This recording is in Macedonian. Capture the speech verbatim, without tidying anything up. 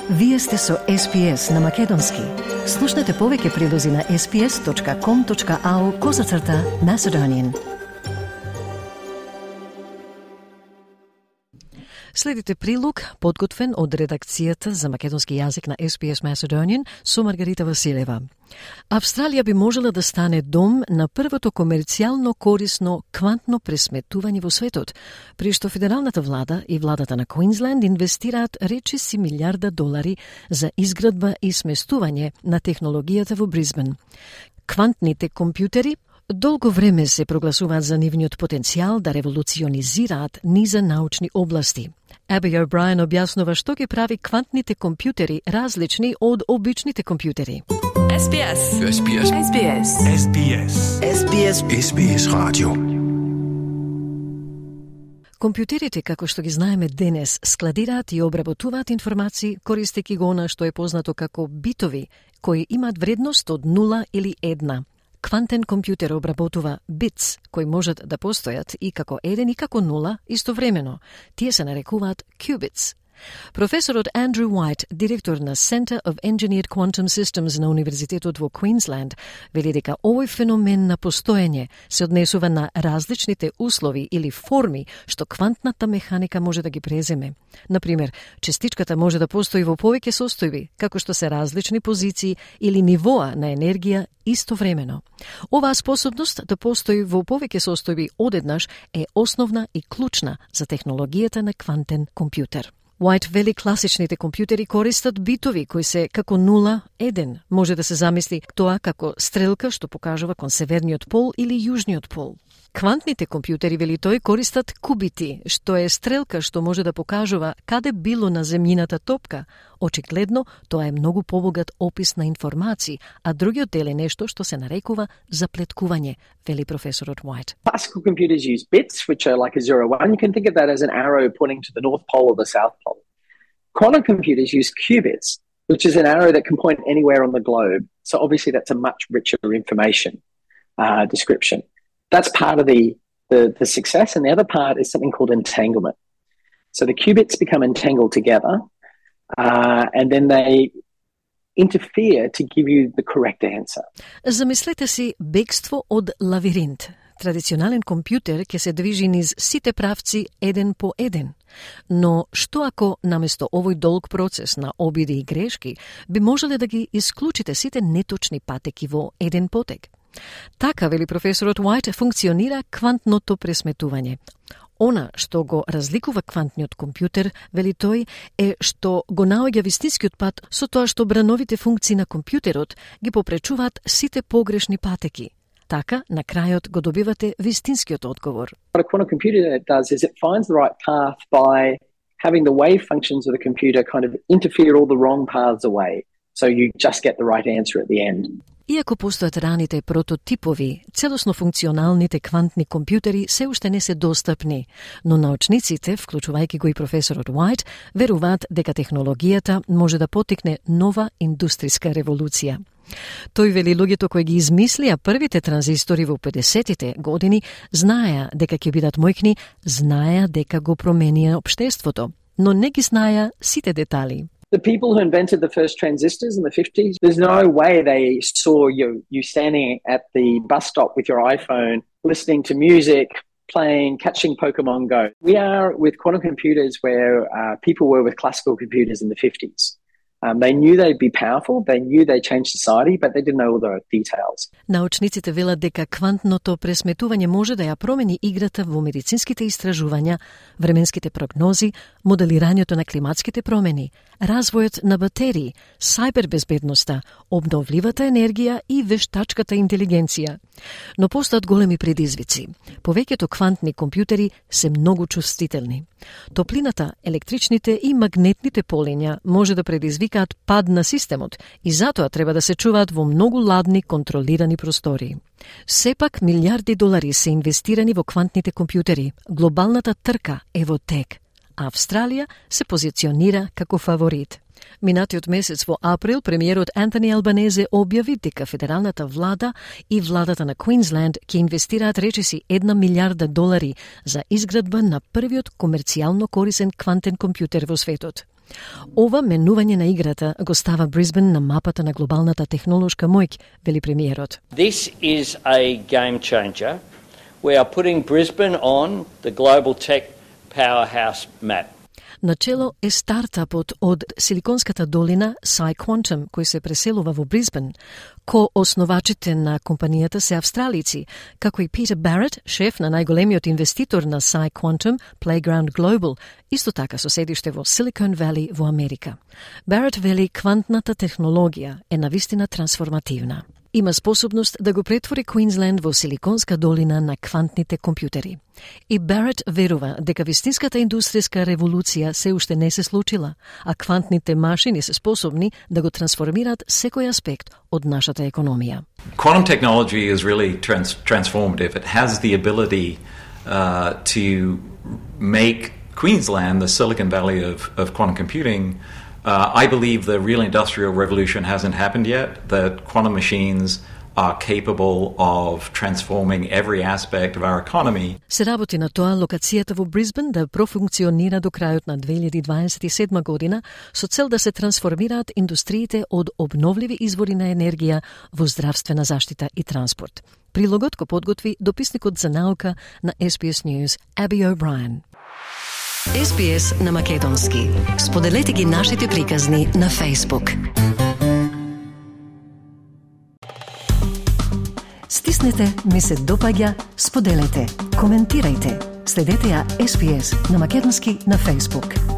Вие сте со Ес Би Ес на Македонски. Слушнете повеќе прилози на ес би ес точка ком точка ау козацрта Macedonian. Следите прилог, подготвен од редакцијата за македонски јазик на Ес Би Ес Macedonian со Маргарита Василева. Австралија би можела да стане дом на првото комерцијално корисно квантно пресметување во светот, при што федералната влада и владата на Квинсленд инвестираат речиси милиарда долари за изградба и сместување на технологијата во Брисбен. Квантните компјутери долго време се прогласуваат за нивниот потенцијал да револуционизираат низа научни области. Аби О'Брајен објаснува што ги прави квантните компјутери различни од обичните компјутери. Ес Би Ес. Ес Би Ес. Ес Би Ес. Ес Би Ес. Ес Би Ес. Ес Би Ес радио. Компјутерите, како што ги знаеме денес, складираат и обработуваат информации користејќи го она што е познато како битови, кои имаат вредност од нула или една. Квантен компјутер обработува битс, кои можат да постојат и како еден и како нула истовремено. Тие се нарекуваат qubits. Професорот Андрю Уајт, директор на Center of Engineered Quantum Systems на Универзитетот во Квинсленд, вели дека овој феномен на постоење се однесува на различните услови или форми што квантната механика може да ги преземе. Например, частичката може да постои во повеќе состојби, како што се различни позиции или нивоа на енергија истовремено. Оваа способност да постои во повеќе состојби одеднаш е основна и клучна за технологијата на квантен компјутер. Уајт вели класичните компјутери користат битови кои се како нула еден. Може да се замисли тоа како стрелка што покажува кон северниот пол или јужниот пол. Квантните компјутери, вели тој, користат кубити, што е стрелка што може да покажува каде било на земјината топка. Очигледно, тоа е многу побогат опис на информации, а другиот дел е нешто што се нарекува заплеткување, вели професорот Уајт. Classical computers use bits, which are like a zero one. You can think of that as an arrow pointing to the north pole or the south pole. Quantum computers use qubits, which is an arrow that can point anywhere on the globe. So obviously that's a much richer information uh, description. That's part of the, the, the success, and the other part is something called entanglement. So the qubits become entangled together, uh, and then they interfere to give you the correct answer. Замислете си бегство од лавиринт. Традиционален компјутер ќе се движи низ сите правци еден по еден. Но што ако наместо овој долг процес на обиди и грешки би можеле да ги исклучите сите неточни патеки во еден потек? Така, вели професорот Уајт, функционира квантното пресметување. Она што го разликува квантниот компјутер, вели тој, е што го наоѓа вистинскиот пат со тоа што брановите функции на компјутерот ги попречуваат сите погрешни патеки. Така, на крајот го добивате вистинскиот одговор. What a quantum computer does is it finds the right path by having the wave functions of the computer kind of interfere all the wrong paths away. So you just get the right answer at the end. Иако постојат раните прототипови, целосно функционалните квантни компјутери се уште не се достапни, но научниците, вклучувајќи го и професорот Уајт, веруваат дека технологијата може да потикне нова индустријска револуција. Тој вели луѓето кои ги измислија првите транзистори во педесетите години знаеа дека ќе бидат мојкни, знаеа дека го променија општеството, но не ги знаеа сите детали. The people who invented the first transistors in the fifties, there's no way they saw you, you standing at the bus stop with your iPhone, listening to music, playing, catching Pokemon Go. We are with quantum computers where uh, people were with classical computers in the fifties. Um, they knew they'd be powerful, they knew they'd change society, but they didn't know all the details. Научниците велат дека квантното пресметување може да ја промени играта во медицинските истражувања, временските прогнози, моделирањето на климатските промени, развојот на батерии, сајбербезбедноста, обновливата енергија и вештачката интелигенција. Но постојат големи предизвици. Повеќето квантни компјутери се многу чувствителни. Топлината, електричните и магнетните полиња може да предизвикаат пад на системот и затоа треба да се чуваат во многу ладни контролирани простори. Сепак милиарди долари се инвестирани во квантните компјутери. Глобалната трка е во тек. Австралија се позиционира како фаворит. Минатиот месец во април премиерот Антони Албанезе објави дека федералната влада и владата на Квинсленд ќе инвестираат речиси една милиарда долари за изградба на првиот комерцијално корисен квантен компјутер во светот. Ова менување на играта го става Брисбен на мапата на глобалната технолошка моќ, вели премиерот. This is a game changer. We are putting Brisbane on the global tech powerhouse map. Начело е стартапот од Силиконската долина PsiQuantum, кој се преселува во Брисбен. Ко основачите на компанијата се австралици, како и Питер Барет, шеф на најголемиот инвеститор на PsiQuantum, Playground Global, исто така со седиште во Silicon Valley во Америка. Барет вели квантната технологија е навистина трансформативна. Има способност да го претвори Квинсленд во Силиконска долина на квантните компјутери. И Барет верува дека вистинската индустријска револуција се уште не се случила, а квантните машини се способни да го трансформираат секој аспект од нашата економија. Quantum technology is really trans- transformative. It has the ability uh, to make Queensland the Silicon Valley of, of quantum computing. Uh, I believe the real industrial revolution hasn't happened yet, that quantum machines are capable of transforming every aspect of our economy. Се работи на тоа локацијата во Брисбен да профункционира до крајот на две илјади дваесет и седма година со цел да се трансформираат индустриите од обновливи извори на енергија во здравствена заштита и транспорт. Прилогот го подготви дописникот за наука на Ес Би Ес News, Аби О'Брајен. Ес Би Ес на македонски. Споделете ги нашите приказни на Facebook. Стиснете, ми се допаѓа, споделете, коментирајте. Следете ја Ес Би Ес на македонски на Facebook.